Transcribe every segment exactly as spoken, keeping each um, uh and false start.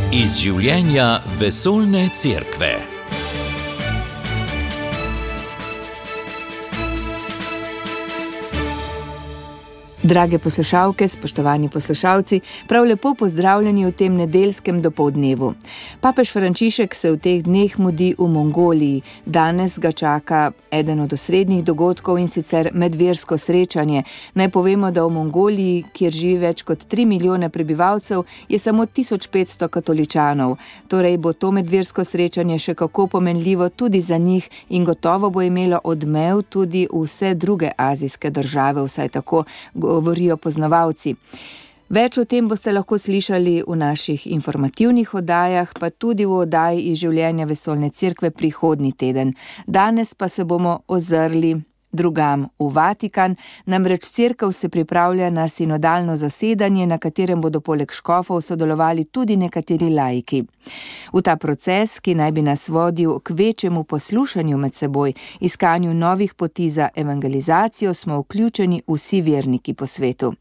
Iz življenja vesoljne cerkve. Drage poslušalke, spoštovani poslušalci, prav lepo pozdravljeni v tem nedeljskem dopoldnevu. Papež Frančišek se v teh dneh mudi v Mongoliji. Danes ga čaka eden od osrednjih dogodkov, in sicer medversko srečanje. Naj povemo, da v Mongoliji, kjer živi več kot tri milijone prebivalcev, je samo tisoč petsto katoličanov. Torej bo to medversko srečanje še kako pomenljivo tudi za njih in gotovo bo imelo odmev tudi vse druge azijske države, vsaj tako govorijo poznavalci. Več o tem boste lahko slišali v naših informativnih oddajah, pa tudi v oddaji iz življenja vesoljne cerkve prihodnji teden. Danes pa se bomo ozrli drugam v Vatikan, namreč cerkev se pripravlja na sinodalno zasedanje, na katerem bodo poleg škofov sodelovali tudi nekateri laiki. V ta proces, ki naj bi nas vodil k večjemu poslušanju med seboj, iskanju novih poti za evangelizacijo, smo vključeni vsi verniki po svetu.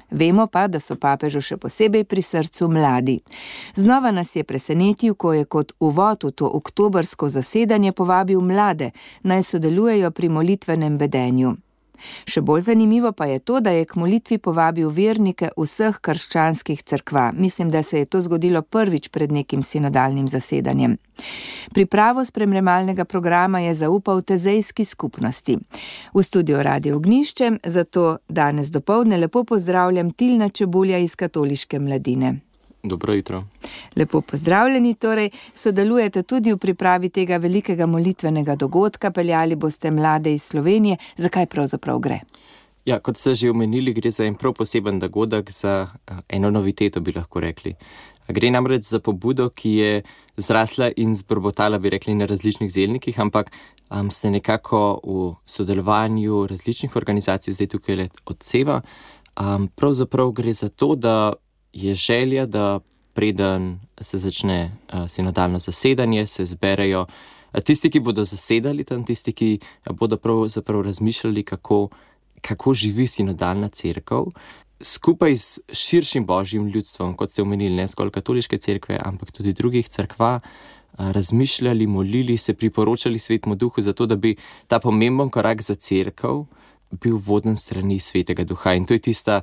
Vemo pa, da so papežu še posebej pri srcu mladi. Znova nas je presenetil, ko je kot uvod v to oktobrsko zasedanje povabil mlade, naj sodelujejo pri molitvenem bedenju. Še bolj zanimivo pa je to, da je k molitvi povabil vernike vseh krščanskih cerkva. Mislim, da se je to zgodilo prvič pred nekim sinodalnim zasedanjem. Pripravo spremljevalnega programa je zaupal tezejski skupnosti. V studiu Radio Ognjišče zato danes dopoldne lepo pozdravljam Tilna Čebulja iz Katoliške mladine. Dobro jutro. Lepo pozdravljeni, torej sodelujete tudi v pripravi tega velikega molitvenega dogodka, peljali boste mlade iz Slovenije. Zakaj pravzaprav gre? Ja, kot ste že omenili, gre za en prav poseben dogodek, za eno noviteto, bi lahko rekli. Gre namreč za pobudo, ki je zrasla in zbrbotala, bi rekli, na različnih zelnikih, ampak um, se nekako v sodelovanju različnih organizacij, zdaj tukaj le odseva. Um, pravzaprav gre za to, da je želja, da preden se začne uh, sinodalno zasedanje, se zberejo uh, tisti, ki bodo zasedali tam, tisti, ki bodo pravzaprav razmišljali, kako, kako živi sinodalna cerkev, skupaj s širšim božjim ljudstvom, kot ste omenili, ne zgolj katoliške cerkve, ampak tudi drugih cerkva, uh, razmišljali, molili, se priporočali Svetemu Duhu, zato da bi ta pomemben korak za cerkev bil voden strani Svetega Duha. In to je tista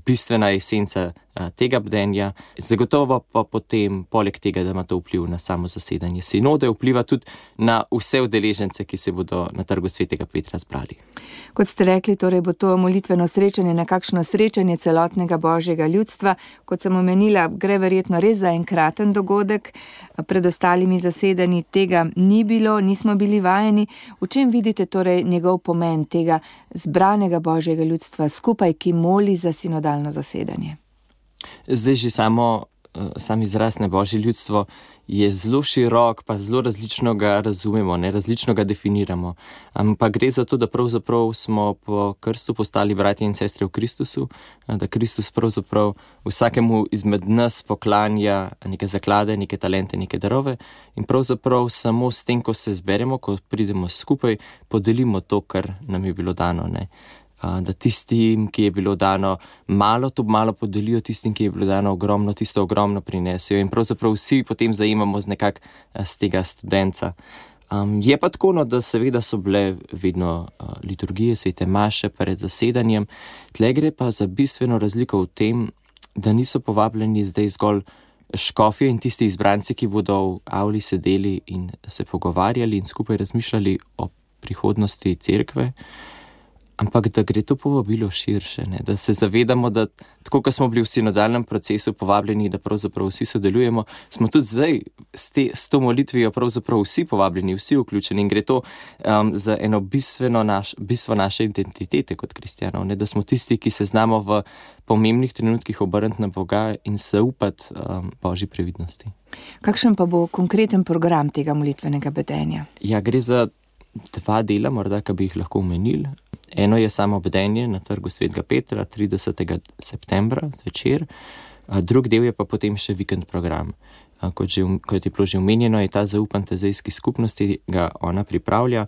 bistvena esenca tega bdenja. Zagotovo pa potem, poleg tega, da ima to vpliv na samo zasedanje sinode, vpliva tudi na vse udeležence, ki se bodo na trgu Svetega Petra zbrali. Kot ste rekli, torej bo to molitveno srečanje nekakšno srečanje celotnega božjega ljudstva. Kot sem omenila, gre verjetno res za enkraten dogodek. Pred ostalimi zasedanji tega ni bilo, nismo bili vajeni. V čem vidite torej njegov pomen tega zbranega božjega ljudstva skupaj, ki moli za sinodalno zasedanje? Zdaj že samo, sam izraz na božje ljudstvo je zelo širok, pa zelo različno ga razumemo, ne, različno ga definiramo. Ampak gre za to, da pravzaprav smo po krstu postali bratje in sestre v Kristusu, da Kristus pravzaprav vsakemu izmed nas poklanja neke zaklade, neke talente, neke darove in pravzaprav samo s tem, ko se zberemo, ko pridemo skupaj, podelimo to, kar nam je bilo dano, ne. Da tistim, ki je bilo dano malo, to malo podelijo, tistim, ki je bilo dano ogromno, tisto ogromno prinesejo in pravzaprav vsi potem zajemamo z nekak z tega studenca. Um, je pa tako, no, da seveda so bile vedno uh, liturgije, svete maše pred zasedanjem. Tle gre pa za bistveno razliko v tem, da niso povabljeni zdaj zgolj škofje in tisti izbranci, ki bodo v avli sedeli in se pogovarjali in skupaj razmišljali o prihodnosti cerkve, ampak da gre to povabilo širše, ne? Da se zavedamo, da tako, ko smo bili v sinodalnem procesu povabljeni, da pravzaprav vsi sodelujemo, smo tudi zdaj s, te, s to molitvijo pravzaprav vsi povabljeni, vsi vključeni in gre to um, za eno bistveno naš, bistvo naše identitete kot kristjanov, ne? Da smo tisti, ki se znamo v pomembnih trenutkih obrniti na Boga in se upati um, božji previdnosti. Kakšen pa bo konkreten program tega molitvenega bedenja? Ja, gre za dva dela, morda, ki bi jih lahko omenili. Eno je samo bdenje na trgu Svetega Petra, tridesetega septembra zvečer, drug del je pa potem še vikend program. Kot, že, kot je bilo že omenjeno, je ta zaupan tezejski skupnosti, ga ona pripravlja.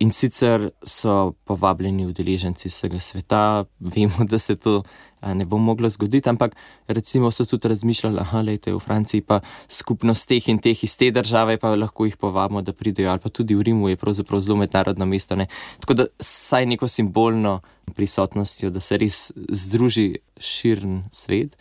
In sicer so povabljeni udeleženci vsega sveta, vemo, da se to ne bo moglo zgoditi, ampak recimo so tudi razmišljali, aha, lejte, v Franciji pa skupnost teh in teh iz te države, pa lahko jih povabimo, da pridejo, ali pa tudi v Rimu je pravzaprav zelo mednarodno mesto, ne. Tako da saj neko simbolno prisotnostjo, da se res združi širen svet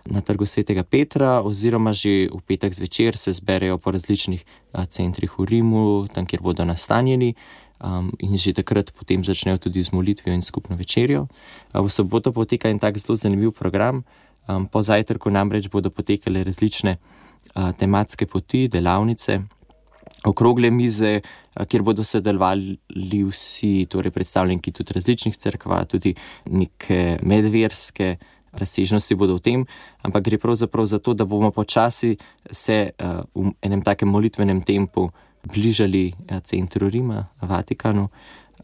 na Trgu svetega Petra, oziroma že v petek zvečer se zberejo po različnih centrih v Rimu, tam, kjer bodo nastanjeni. Um, in že takrat potem začnejo tudi z molitvijo in skupno večerjo. Uh, v soboto poteka en tak zelo zanimiv program. Um, po zajtrku namreč bodo potekale različne uh, tematske poti, delavnice, okrogle mize, uh, kjer bodo sodelovali vsi, torej predstavniki tudi različnih cerkva, tudi neke medverske razsežnosti bodo v tem, ampak gre pravzaprav za to, da bomo počasi se uh, v enem takem molitvenem tempu bližali centru Rima, Vatikanu.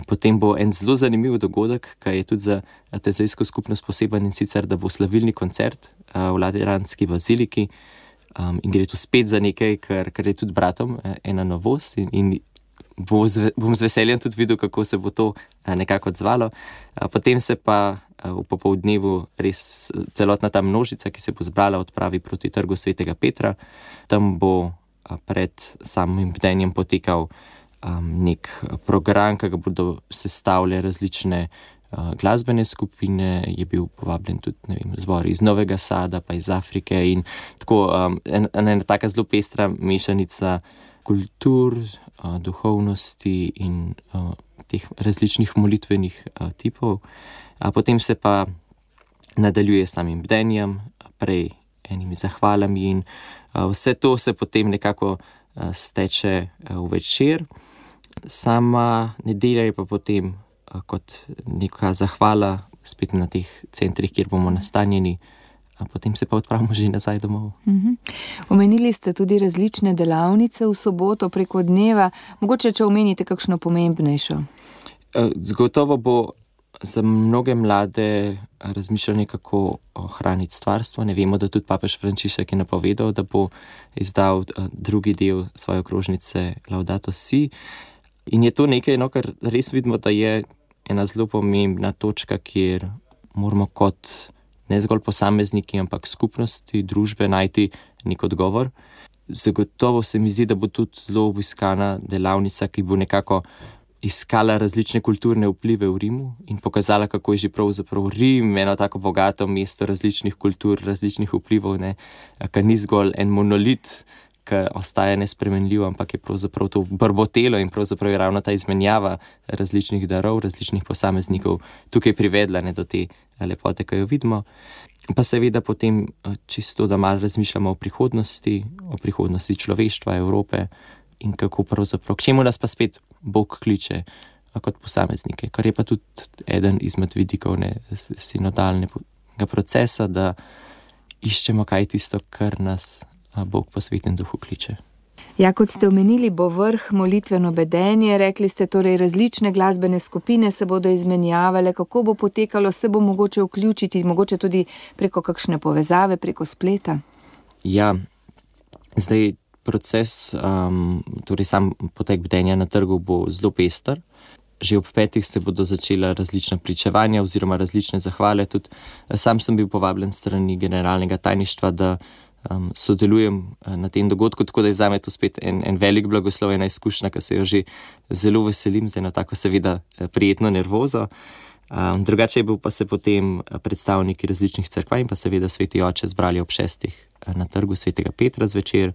Potem bo en zelo zanimiv dogodek, ki je tudi za tezejsko skupnost poseben, in sicer, da bo slavilni koncert v Lateranski baziliki. Um, in gre tu spet za nekaj, kar, kar je tudi bratom ena novost, in, in bo z, bom z veseljem tudi videl, kako se bo to nekako odzvalo. Potem se pa v popoldnevu res celotna ta množica, ki se bo zbrala, odpravi proti Trgu svetega Petra. Tam bo pred samim bdenjem potekal um, nek program, ki ga bodo sestavljali različne uh, glasbene skupine, je bil povabljen tudi, ne vem, zbor iz Novega Sada, pa iz Afrike, in tako um, en, ena taka zelo pestra mešanica kultur, uh, duhovnosti in uh, teh različnih molitvenih uh, tipov. A potem se pa nadaljuje s samim bdenjem, prej enimi zahvalami, in uh, vse to se potem nekako uh, steče uh, v večer. Sama nedelja je pa potem uh, kot neka zahvala spet na teh centrih, kjer bomo nastanjeni, a potem se pa odpravimo že nazaj domov. Mhm. Omenili ste tudi različne delavnice v soboto preko dneva, mogoče če omenite kakšno pomembnejšo? Uh, Zagotovo bo za mnoge mlade razmišljanje, kako ohraniti stvarstvo. Ne vemo, da tudi papež Frančišek je napovedal, da bo izdal drugi del svoje okrožnice Laudato Si. In je to nekaj, no, kar res vidimo, da je ena zelo pomembna točka, kjer moramo kot ne zgolj posamezniki, ampak skupnosti, družbe najti nek odgovor. Zagotovo se mi zdi, da bo tudi zelo obiskana delavnica, ki bo nekako iskala različne kulturne vplive v Rimu in pokazala, kako je že pravzaprav Rim eno tako bogato mesto različnih kultur, različnih vplivov, ne, kar ni zgolj en monolit, ki ostaja nespremenljiv, ampak je pravzaprav to brbotelo, in pravzaprav je ravno ta izmenjava različnih darov, različnih posameznikov tukaj privedla, ne, do te lepote, ki jo vidimo. Pa seveda potem čisto, da malo razmišljamo o prihodnosti, o prihodnosti človeštva, Evrope, in kako pravzaprav, k čemu nas pa spet Bog kliče kot posameznike, kar je pa tudi eden izmed vidikov, ne, sinodalnega procesa, da iščemo, kaj je tisto, kar nas Bog po Svetem Duhu kliče. Ja, kot ste omenili, bo vrh molitveno bedenje, rekli ste torej različne glasbene skupine se bodo izmenjavale, kako bo potekalo, se bo mogoče vključiti, mogoče tudi preko kakšne povezave, preko spleta? Ja, zdaj proces, um, torej sam potek bdenja na trgu bo zelo pester. Že ob petih se bodo začela različna pričevanja oziroma različne zahvale. Tudi sam sem bil povabljen strani generalnega tajništva, da um, sodelujem na tem dogodku, tako da je zame to spet en, en velik blagoslov, ena izkušnja, ki se jo že zelo veselim, z eno tako seveda prijetno nervozo. Um, drugače je bil pa se potem predstavniki različnih cerkva in pa seveda Sveti Oče zbrali ob šestih na Trgu svetega Petra zvečer.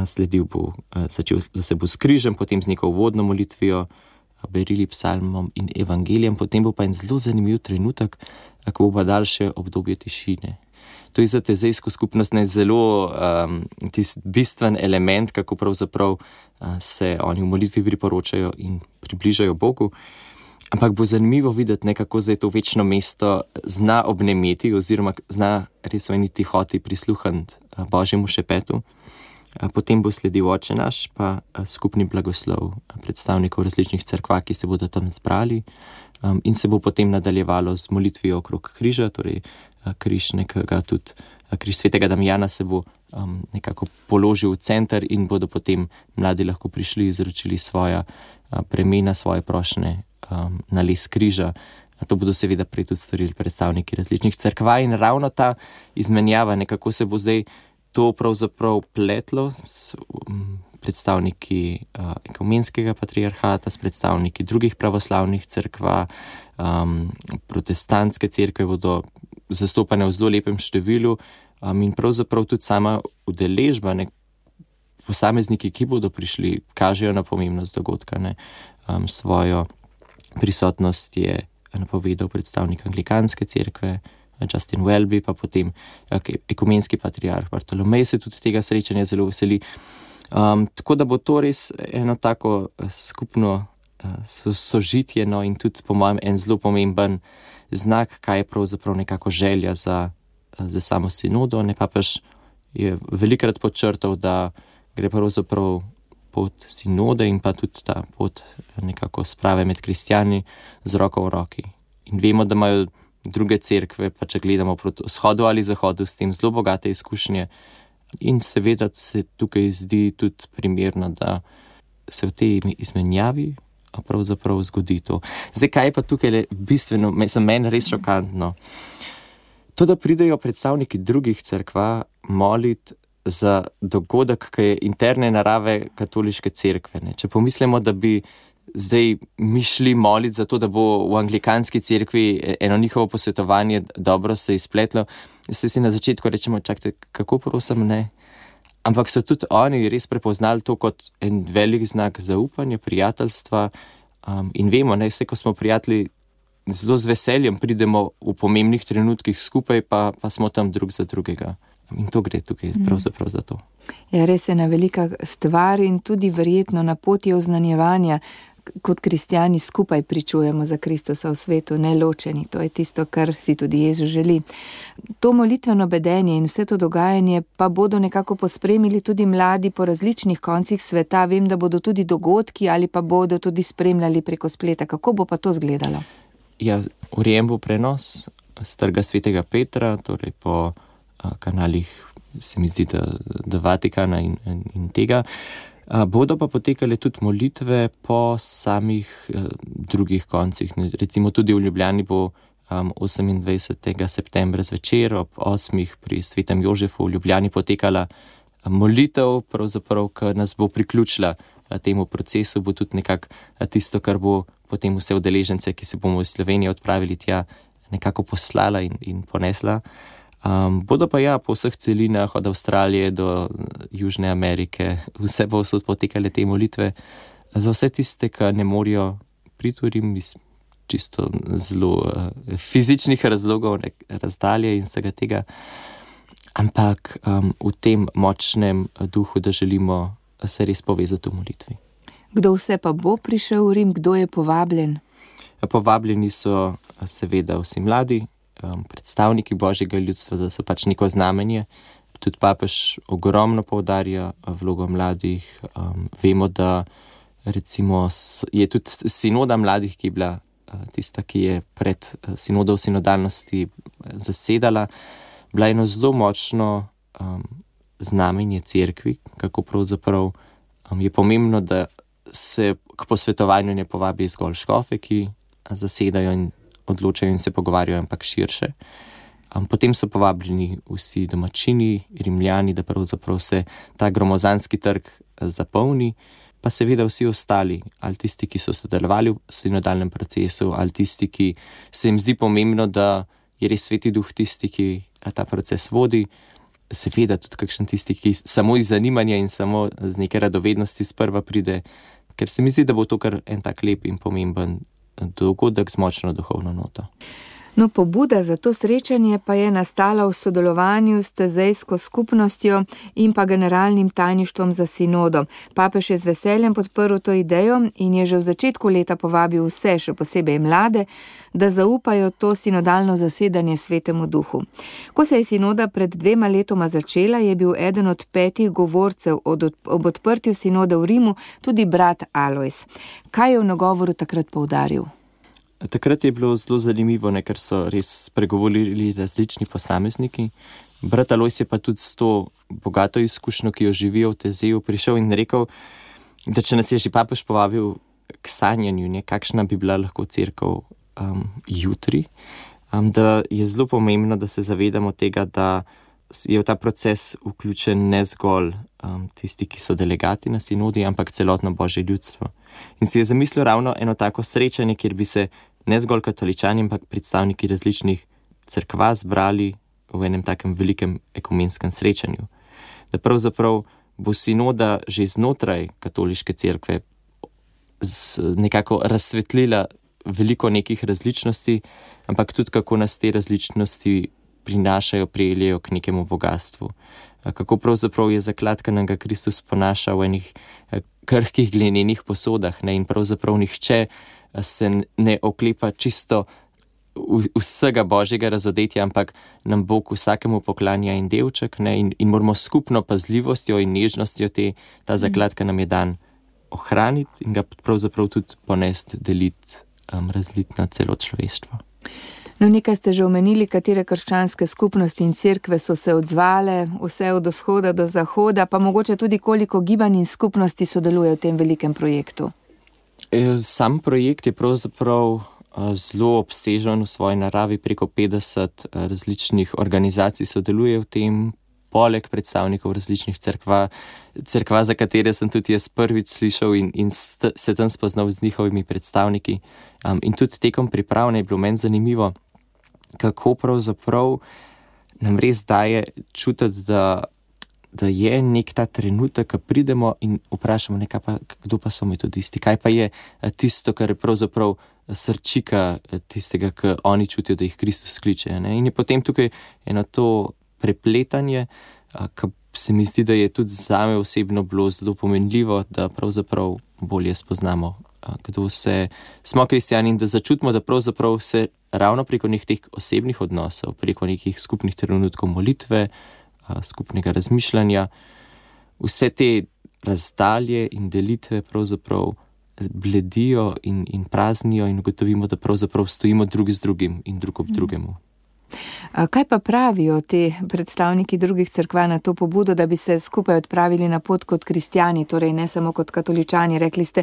Sledil bo, začel se bo s križem, potem z neko uvodno molitvijo, berili psalmom in evangelijem, potem bo pa en zelo zanimiv trenutek, ko bo pa daljše obdobje tišine. To je za tezejsko skupnost ne zelo um, tisti bistven element, kako pravzaprav uh, se oni v molitvi priporočajo in približajo Bogu. Ampak bo zanimivo videti, ne, kako zdaj to večno mesto zna obnemeti oziroma zna res v eni tihoti prisluhniti uh, Božjemu šepetu. Potem bo sledil Oče naš, pa skupni blagoslov predstavnikov različnih cerkva, ki se bodo tam zbrali. um, in se bo potem nadaljevalo z molitvijo okrog križa, torej križ nekega tudi, križ svetega Damjana se bo um, nekako položil v center in bodo potem mladi lahko prišli, izročili svoja uh, premena, svoje prošnje um, na les križa. A to bodo seveda prej tudi storili predstavniki različnih cerkva in ravno ta izmenjava, nekako se bo zdaj to pravzaprav pletlo s um, predstavniki uh, ekumenskega patriarhata, s predstavniki drugih pravoslavnih cerkva, um, protestantske cerkve bodo zastopane v zelo lepem številu um, in pravzaprav tudi sama udeležba, ne, posamezniki, ki bodo prišli, kažejo na pomembnost dogodka. Ne. Um, svojo prisotnost je napovedal predstavnik anglikanske cerkve, Justin Welby, pa potem ekumenski patriarh Bartolomej se tudi tega srečanja zelo veseli. Um, tako da bo to res eno tako skupno uh, sožitje, no, in tudi po mojem en zelo pomemben znak, kaj je pravzaprav nekako želja za, za samo sinodo. Ne, papež je velikrat podčrtal, da gre pravzaprav pot sinode in pa tudi ta pot nekako sprave med kristjani z roko v roki. In vemo, da imajo druge cerkve, pa če gledamo proti vzhodu ali zahodu, s tem zelo bogate izkušnje. In seveda se tukaj zdi tudi primerno, da se v tej izmenjavi pravzaprav zgodi to. Zdaj, kaj je pa tukaj bistveno, za mene res šokantno? To, da pridejo predstavniki drugih cerkva moliti za dogodek, ki je interne narave katoliške cerkve. Ne. Če pomislimo, da bi zdaj mi šli moliti za to, da bo v anglikanski cerkvi eno njihovo posvetovanje dobro se izpletlo, se si na začetku rečemo, čakajte, kako prosim, ne. Ampak so tudi oni res prepoznali to kot en velik znak zaupanja, prijateljstva um, in vemo, ne, vse, ko smo prijatelji, zelo z veseljem pridemo v pomembnih trenutkih skupaj, pa, pa smo tam drug za drugega. In to gre tukaj pravzaprav za to. Ja, res je ena velika stvar in tudi verjetno na poti oznanjevanja, kot kristjani skupaj pričujemo za Kristusa v svetu, ne ločeni. To je tisto, kar si tudi Jezus želi. To molitveno bedenje in vse to dogajanje pa bodo nekako pospremili tudi mladi po različnih koncih sveta. Vem, da bodo tudi dogodki ali pa bodo tudi spremljali preko spleta. Kako bo pa to izgledalo? Ja, urejen bo prenos z Trga svetega Petra, torej po kanalih, se mi zdi, da, da Vatikana in, in, in tega. A, bodo pa potekale tudi molitve po samih a, drugih koncih. Recimo tudi v Ljubljani bo um, osemindvajsetega septembra zvečer ob osmih pri Svetem Jožefu v Ljubljani potekala molitev, pravzaprav, ki nas bo priključila a, temu procesu, bo tudi nekako tisto, kar bo potem vse udeležence, ki se bomo v Sloveniji odpravili tja, nekako poslala in, in ponesla. Um, bodo pa ja po vseh celinah, od Avstralije do Južne Amerike, vse bo so potekale te molitve. Za vse tiste, ki ne morejo priturim iz čisto zelo uh, fizičnih razlogov, ne, razdalje in vsega tega, ampak um, v tem močnem duhu, da želimo se res povezati v molitvi. Kdo vse pa bo prišel v Rim? Kdo je povabljen? Povabljeni so seveda vsi mladi, predstavniki Božjega ljudstva, da so pač neko znamenje. Tudi papež ogromno poudarja vlogo mladih. Um, vemo, da recimo je tudi sinoda mladih, ki je bila tista, ki je pred sinodou sinodalnosti zasedala, bila eno zelo močno um, znamenje cerkvi, kako pravzaprav um, je pomembno, da se k posvetovanju ne povabi zgolj škofe, ki zasedajo in odločajo in se pogovarjajo, ampak širše. Um, potem so povabljeni vsi domačini, Rimljani, da pravzaprav se ta gromozanski trg zapolni, pa seveda vsi ostali, ali tisti, ki so sodelovali v sinodalnem procesu, ali tisti, ki se jim zdi pomembno, da je res Sveti Duh tisti, ki ta proces vodi, seveda tudi kakšen tisti, ki samo iz zanimanja in samo z neke radovednosti sprva pride, ker se mi zdi, da bo to kar en tak lep in pomemben dogodek z močno duhovno noto. No, pobuda za to srečanje pa je nastala v sodelovanju s tezejsko skupnostjo in pa generalnim tajništvom za sinodo. Papež je z veseljem podprl to idejo in je že v začetku leta povabil vse, še posebej mlade, da zaupajo to sinodalno zasedanje Svetemu Duhu. Ko se je sinoda pred dvema letoma začela, je bil eden od petih govorcev od, ob odprtju sinode v Rimu tudi brat Alojz. Kaj je v nagovoru takrat poudaril? Takrat je bilo zelo zanimivo, ne, ker so res spregovorili različni posamezniki. Brat Alojz je pa tudi s to bogato izkušnjo, ki jo živijo v Tezeju, prišel in rekel, da če nas je že papež povabil k sanjanju, ne, kakšna bi bila lahko cerkev um, jutri, um, da je zelo pomembno, da se zavedamo tega, da je v ta proces vključen ne zgolj um, tisti, ki so delegati na sinodi, ampak celotno Božje ljudstvo. In si je zamislil ravno eno tako srečanje, kjer bi se ne zgolj katoličani, ampak predstavniki različnih cerkva zbrali v enem takem velikem ekumenskem srečanju. Da pravzaprav bo sinoda že znotraj katoliške cerkve nekako razsvetlila veliko nekih različnosti, ampak tudi kako nas te različnosti prinašajo, prijelijo k nekemu bogatstvu. Kako pravzaprav je zaklad, ki nam ga Kristus ponaša v enih krhkih glenenih posodah, ne? In pravzaprav nihče se ne oklepa čisto vsega Božjega razodetja, ampak nam Bog vsakemu poklanja en delček, ne? In, in moramo skupno pazljivostjo in nežnostjo te, ta zaklad, ki nam je dan, ohraniti in ga pravzaprav tudi ponesti, deliti, um, razliti na celo človeštvo. No, nekaj ste že omenili, katere krščanske skupnosti in cerkve so se odzvale, vse od vzhoda do zahoda, pa mogoče tudi koliko gibanj in skupnosti sodeluje v tem velikem projektu. Sam projekt je pravzaprav zelo obsežen v svoji naravi, preko petdeset različnih organizacij sodeluje v tem, poleg predstavnikov različnih cerkva, cerkva, za katere sem tudi jaz prvič slišal in, in st- se tam spoznal z njihovimi predstavniki. Um, in tudi tekom pripravne je bilo meni zanimivo, kako pravzaprav nam res daje čutiti, da, da je nek ta trenutek, ko pridemo in vprašamo, nekaj pa, kdo pa so metodisti, kaj pa je tisto, kar je pravzaprav srčika tistega, ki oni čutijo, da jih Kristus kliče. Ne? In je potem tukaj eno to prepletanje, ki se mi zdi, da je tudi zame osebno bilo zelo pomenljivo, da pravzaprav bolje spoznamo, kdo se smo kristjani in da začutimo, da pravzaprav se ravno preko nekih teh osebnih odnosov, preko nekih skupnih trenutkov molitve, skupnega razmišljanja, vse te razdalje in delitve pravzaprav bledijo in, in praznijo in ugotovimo, da pravzaprav stojimo drug z drugim in drug ob drugemu. Kaj pa pravijo te predstavniki drugih cerkva na to pobudo, da bi se skupaj odpravili na pot kot kristjani, torej ne samo kot katoličani? Rekli ste,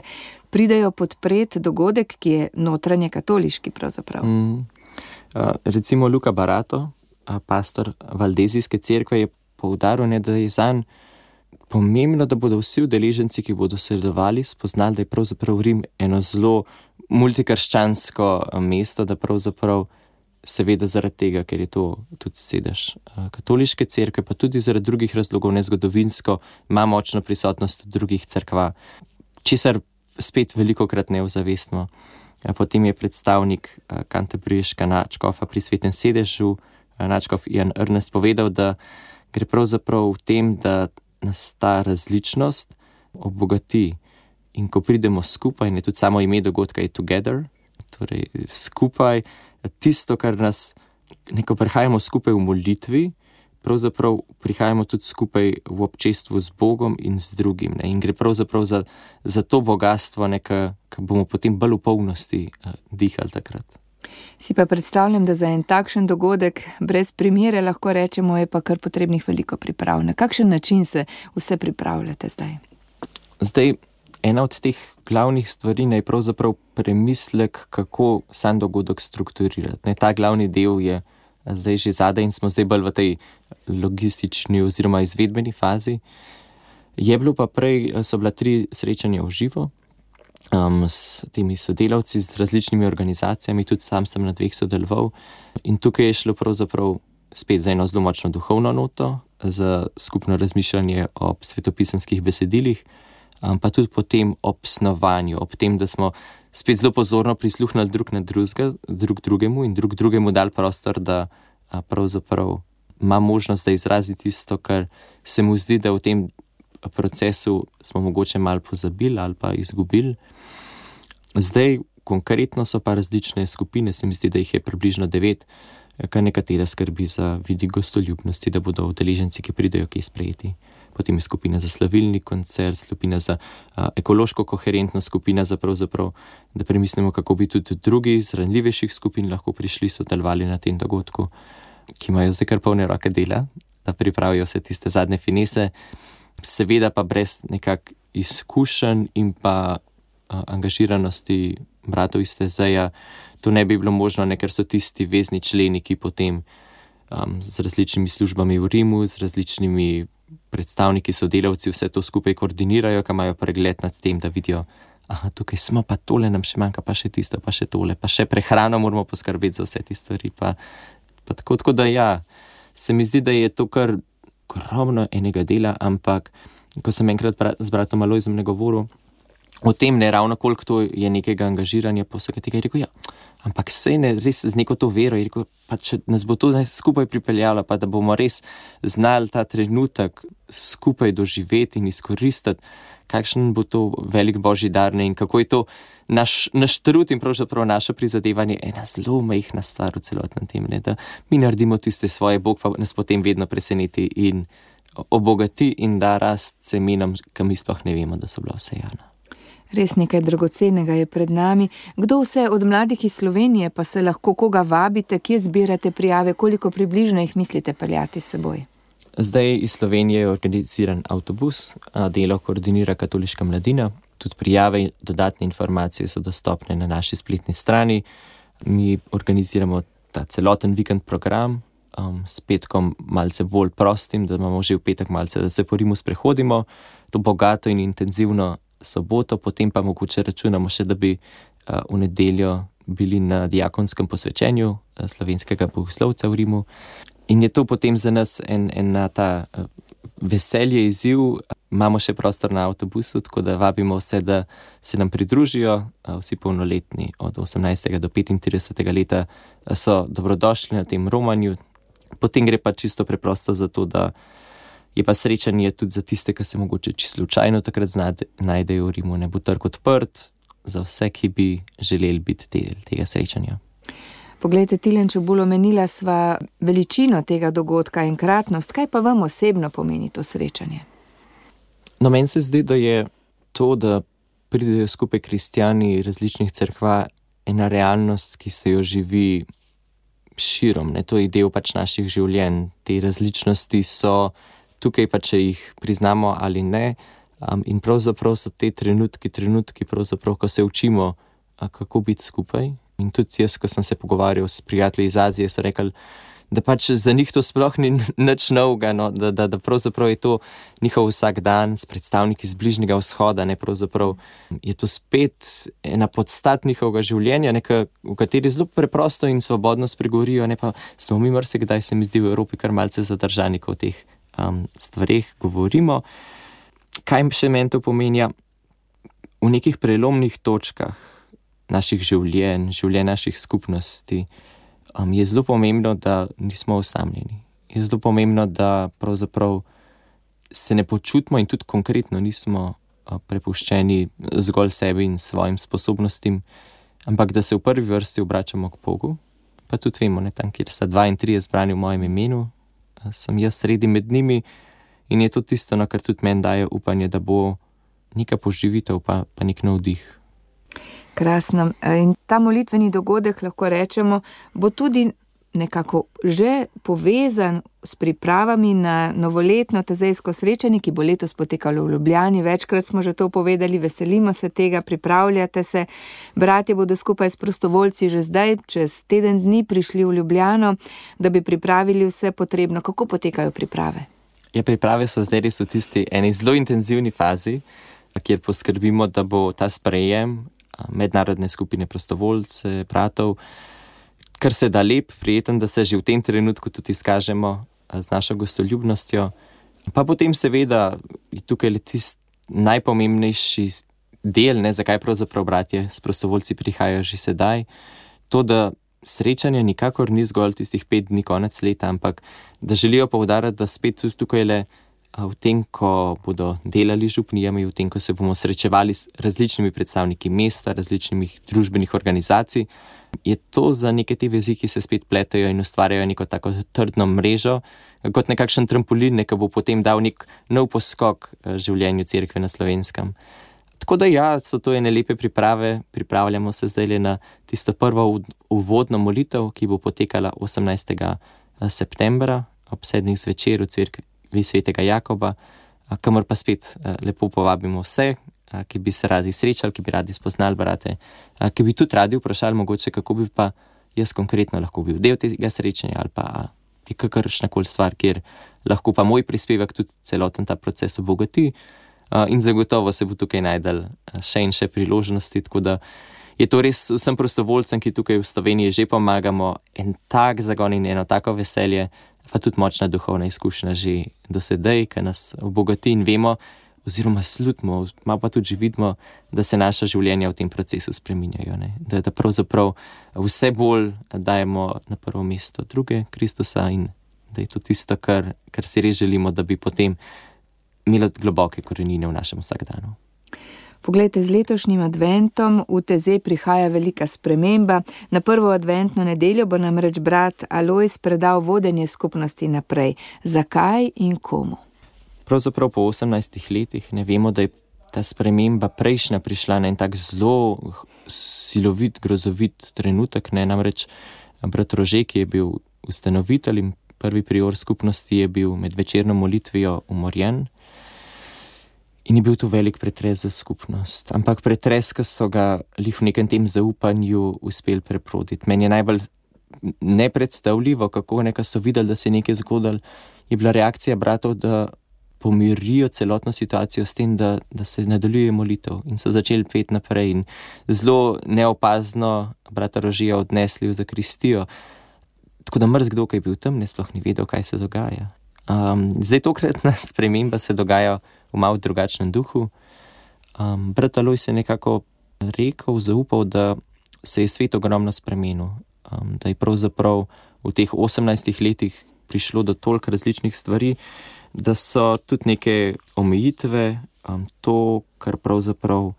pridajo podpreti dogodek, ki je notranje katoliški pravzaprav. Mm. Uh, recimo Luka Barato, uh, pastor Valdezijske cerkve, je poudaril, ne, da je zanj pomembno, da bodo vsi udeleženci, ki bodo sodelovali, spoznali, da je pravzaprav Rim eno zelo multikrščansko mesto, da pravzaprav seveda zaradi tega, ker je to tudi sedež katoliške cerkve, pa tudi zaradi drugih razlogov, nezgodovinsko, ima močno prisotnost drugih cerkva, česar spet velikokrat ne ozavestimo. Potem je predstavnik Canterburyškega nadškofa pri Svetem sedežu, nadškof Ian Ernest, povedal, da gre pravzaprav v tem, da nas ta različnost obogati in ko pridemo skupaj, in je tudi samo ime dogodka je Together, torej skupaj, tisto, kar nas, neko prihajamo skupaj v molitvi, pravzaprav prihajamo tudi skupaj v občestvu z Bogom in z drugim. Ne? In gre pravzaprav za, za to bogatstvo, ki bomo potem bolj v polnosti uh, dihali takrat. Si pa predstavljam, da za en takšen dogodek brez primere lahko rečemo, je pa kar potrebnih veliko priprav. Na kakšen način se vse pripravljate zdaj? Zdaj, ena od teh glavnih stvari je pravzaprav premislek, kako sam dogodek strukturirati. Ne, ta glavni del je zdaj že zadaj in smo zdaj bolj v tej logistični oziroma izvedbeni fazi. Je bilo pa prej, so bila tri srečanja v živo um, s temi sodelavci, z različnimi organizacijami, tudi sam sem na dveh sodeloval. In tukaj je šlo pravzaprav spet za eno zelo močno duhovno noto, za skupno razmišljanje o svetopisanskih besedilih, Um, pa tudi potem ob snovanju, ob tem, da smo spet zelo pozorno prisluhnili drug na drugega, drug drugemu in drug drugemu dali prostor, da a, pravzaprav ima možnost, da izrazi tisto, kar se mu zdi, da v tem procesu smo mogoče malo pozabili ali pa izgubili. Zdaj konkretno so pa različne skupine, se mi zdi, da jih je približno devet, kar nekatera skrbi za vidik gostoljubnosti, da bodo udeleženci, ki pridejo, ki sprejeti. potem je skupina za slavilni koncert, skupina za uh, ekološko koherentno, skupina za pravzaprav, da premislimo, kako bi tudi drugi iz ranljivejših skupin lahko prišli, sodelovali na tem dogodku, ki imajo zdaj kar polne roke dela, da pripravijo vse tiste zadnje finese, seveda pa brez nekak izkušenj in pa uh, angažiranosti bratov iz Tezeja, to ne bi bilo možno, ne, ker so tisti vezni členi, ki potem um, z različnimi službami v Rimu, z različnimi predstavniki, sodelavci vse to skupaj koordinirajo, ki imajo pregled nad tem, da vidijo, aha, tukaj smo, pa tole nam še manjka, pa še tisto, pa še tole, pa še prehrano moramo poskrbeti za vse te stvari. Pa, pa tako, tako da ja, se mi zdi, da je to kar ogromno enega dela, ampak ko sem enkrat bra, z bratom Alojzom ne govoril o tem, ne ravno koliko to je nekega angažiranja, pa vsega tega je rekel, ja, ampak sej ne res z neko to vero, je rekel, pa če nas bo to skupaj pripeljalo, pa da bomo res znali ta trenutek skupaj doživeti in izkoristiti, kakšen bo to velik božji dar, ne, in kako je to naš, naš trud in pravzaprav naše prizadevanje ena zelo majhna stvar v celotnem tem, ne, da mi naredimo tiste svoje, Bog pa nas potem vedno preseneti in obogati in da rast semenom, ki mi sploh ne vemo, da so bila vsejana. Res nekaj dragocenega je pred nami. Kdo vse od mladih iz Slovenije pa se lahko koga vabite, kje zbirate prijave, koliko približno jih mislite peljati s seboj? Zdaj iz Slovenije je organiziran avtobus, delo koordinira Katoliška mladina, tudi prijave in dodatne informacije so dostopne na naši spletni strani. Mi organiziramo ta celoten vikend program, um, s petkom malce bolj prostim, da imamo že v petek malce, da se po Rimu sprehodimo, to bogato in intenzivno soboto, potem pa mogoče računamo še, da bi uh, v nedeljo bili na diakonskem posvečenju uh, slovenskega bogoslovca v Rimu. In je to potem za nas en, en ta uh, veselje, izziv. Imamo še prostor na avtobusu, tako da vabimo vse, da se nam pridružijo. Uh, vsi polnoletni od osemnajstega do petintridesetega leta uh, so dobrodošli na tem romanju. Potem gre pa čisto preprosto za to, da je pa srečanje tudi za tiste, ki se mogoče čisto slučajno takrat znajde, najdejo v Rimu, ne bo trg odprt za vse, ki bi želeli biti del tega srečanja. Poglejte, Tilen Čebulj, omenila sva veličino tega dogodka, enkratnost. Kaj pa vam osebno pomeni to srečanje? No, meni se zdi, da je to, da pridejo skupaj kristjani različnih cerkva, ena realnost, ki se jo živi širom. Ne? To je del pač naših življenj. Te različnosti so tukaj pa, če jih priznamo ali ne, um, in pravzaprav so te trenutki, trenutki, pravzaprav, ko se učimo, a, kako biti skupaj. In tudi jaz, ko sem se pogovarjal s prijatelji iz Azije, so rekli, da pač za njih to sploh ni nič novega, no, da, da, da pravzaprav je to njihov vsak dan s predstavniki z Bližnjega vzhoda, ne, pravzaprav je to spet ena podstat njihovega življenja, neka, v kateri zelo preprosto in svobodno spregovorijo, ne pa smo mi marsikdaj, se mi zdi, v Evropi kar malce zadržani, ko teh Um, stvareh govorimo. Kaj še meni to pomenja? V nekih prelomnih točkah naših življenj, življenj naših skupnosti um, je zelo pomembno, da nismo osamljeni. Je zelo pomembno, da pravzaprav se ne počutimo in tudi konkretno nismo uh, prepuščeni zgolj sebi in svojim sposobnostim, ampak da se v prvi vrsti obračamo k Bogu, pa tudi vemo, ne, tam, kjer sta dva in trije zbrani v mojem imenu, sem jaz sredi med njimi in je to tisto, na kar tudi meni daje upanje, da bo neka poživitev, pa, pa nek navdih. Krasno. In ta molitveni dogodek, lahko rečemo, bo tudi nekako že povezan s pripravami na novoletno tezejsko srečanje, ki bo letos potekalo v Ljubljani. Večkrat smo že to povedali, veselimo se tega, pripravljate se. Bratje bodo skupaj s prostovoljci že zdaj, čez teden dni, prišli v Ljubljano, da bi pripravili vse potrebno. Kako potekajo priprave? Ja, priprave so zdaj res v tisti eni zelo intenzivni fazi, kjer poskrbimo, da bo ta sprejem mednarodne skupine prostovoljce, bratov, kar se da lep, prijeten, da se že v tem trenutku tudi izkažemo z našo gostoljubnostjo. Pa potem seveda je tukaj le tisti najpomembnejši del, ne, zakaj pravzaprav bratje s prostovoljci prihajajo že sedaj, to, da srečanje nikakor ni zgolj tistih pet dni konec leta, ampak da želijo poudariti, da spet tukaj le v tem, ko bodo delali z župnijami, v tem, ko se bomo srečevali s različnimi predstavniki mesta, različnih družbenih organizacij, je to za neke te vezi, ki se spet pletajo in ustvarjajo neko tako trdno mrežo, kot nekakšen trampolin, ki bo potem dal nek nov poskok življenju cerkve na Slovenskem. Tako da ja, so to ene lepe priprave, pripravljamo se zdaj na tisto prvo uvodno molitev, ki bo potekala osemnajstega septembra ob sedmih zvečer v cerkvi svetega Jakoba, kamor pa spet lepo povabimo vse, ki bi se radi srečali, ki bi radi spoznali brate, ki bi tudi radi vprašali mogoče, kako bi pa jaz konkretno lahko bil del tega srečanja ali pa je kakršnakoli stvar, kjer lahko pa moj prispevek tudi celoten ta proces obogati. In zagotovo se bo tukaj najdel še in še priložnosti, tako da je to res vsem prostovoljcem, ki tukaj v Sloveniji že pomagamo, en tak zagon in eno tako veselje, pa tudi močna duhovna izkušnja že do sedaj, ki nas obogati in vemo, oziroma slutimo, malo pa tudi že vidimo, da se naša življenja v tem procesu spreminjajo, ne? Da, da pravzaprav vse bolj dajemo na prvo mesto druge, Kristusa, in da je to tisto, kar, kar si res želimo, da bi potem imela globoke korenine v našem vsakdanu. Poglejte, z letošnjim adventom v T Z prihaja velika sprememba. Na prvo adventno nedeljo bo namreč brat Alojz predal vodenje skupnosti naprej. Zakaj in komu? Pravzaprav po osemnajstih letih ne vemo, da je ta sprememba prejšnja prišla na en tak zelo silovit, grozovit trenutek, ne, namreč brat Rože, ki je bil ustanovitelj in prvi prior skupnosti, je bil med večerno molitvijo umorjen. In je bil to velik pretres za skupnost. Ampak pretres, ki so ga lih v nekem tem zaupanju uspeli preproditi. Meni je najbolj nepredstavljivo, kako nekaj so videli, da se je nekaj zgodilo, je bila reakcija bratov, da pomirijo celotno situacijo s tem, da, da se nadaljuje molitev in so začeli peti naprej in zelo neopazno brata Rožija odnesli v zakristijo. Tako da mrzkdo, ki je bil tam, ne sploh ni vedel, kaj se dogaja. Um, zdaj tokratna sprememba se dogaja v malo drugačnem duhu. Um, brat Alojz je nekako rekel, zaupal, da se je svet ogromno spremenil, um, da je pravzaprav v teh osemnajstih letih prišlo do toliko različnih stvari, da so tudi neke omejitve, um, to, kar pravzaprav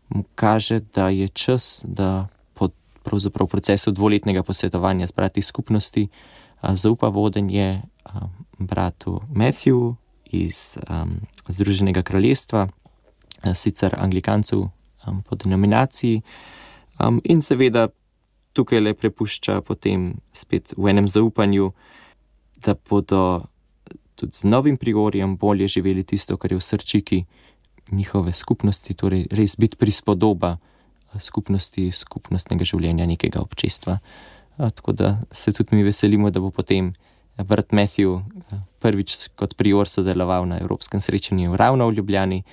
mu kaže, da je čas, da po pravzaprav procesu dvoletnega posvetovanja s brati skupnosti uh, zaupa vodenje um, bratu Matthew iz um, Združenega kraljestva, uh, sicer Anglikancev um, po denominaciji, um, in seveda tukaj le prepušča potem spet v enem zaupanju, da bodo tudi z novim priorjem bolje živeli tisto, kar je v srčiki njihove skupnosti, torej res biti prispodoba skupnosti, skupnostnega življenja nekega občestva. Tako da se tudi mi veselimo, da bo potem brat Matthew prvič kot prior sodeloval na Evropskem srečanju ravno v Ljubljani,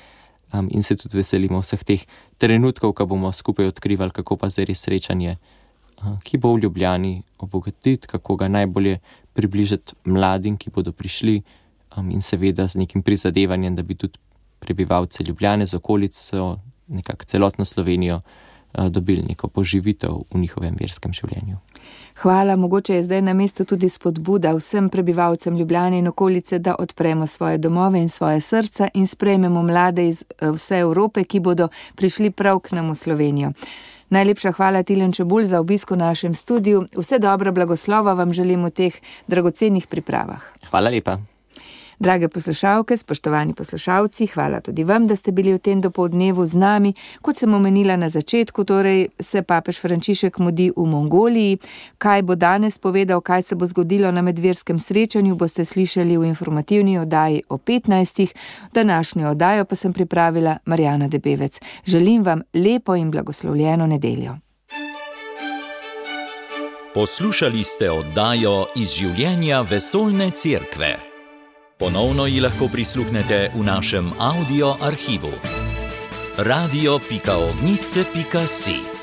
in se tudi veselimo vseh teh trenutkov, ko bomo skupaj odkrivali, kako pa zdaj res srečanje, ki bo v Ljubljani, obogatiti, kako ga najbolje približati mladim, ki bodo prišli, um, in seveda z nekim prizadevanjem, da bi tudi prebivalce Ljubljane z okolico, nekako celotno Slovenijo, uh, dobili neko poživitev v njihovem verskem življenju. Hvala, mogoče je zdaj na mestu tudi spodbuda vsem prebivalcem Ljubljane in okolice, da odpremo svoje domove in svoje srca in sprejmemo mlade iz vse Evrope, ki bodo prišli prav k nam v Slovenijo. Najlepša hvala, Tilen Čebulj, za obisk v našem studiu. Vse dobro, blagoslova vam želim v teh dragocenih pripravah. Hvala lepa. Drage poslušalke, spoštovani poslušalci, hvala tudi vam, da ste bili v tem dopoldnevu z nami. Kot sem omenila na začetku, torej se papež Frančišek mudi v Mongoliji. Kaj bo danes povedal, kaj se bo zgodilo na medverskem srečanju, boste slišali v informativni oddaji o petnajstih. Današnjo oddajo pa sem pripravila Marjana Debevec. Želim vam lepo in blagoslovljeno nedeljo. Poslušali ste oddajo iz življenja Vesoljne cerkve. Ponovno ji lahko prisluhnete v našem audio arhivu. radio pika ognjišče pika si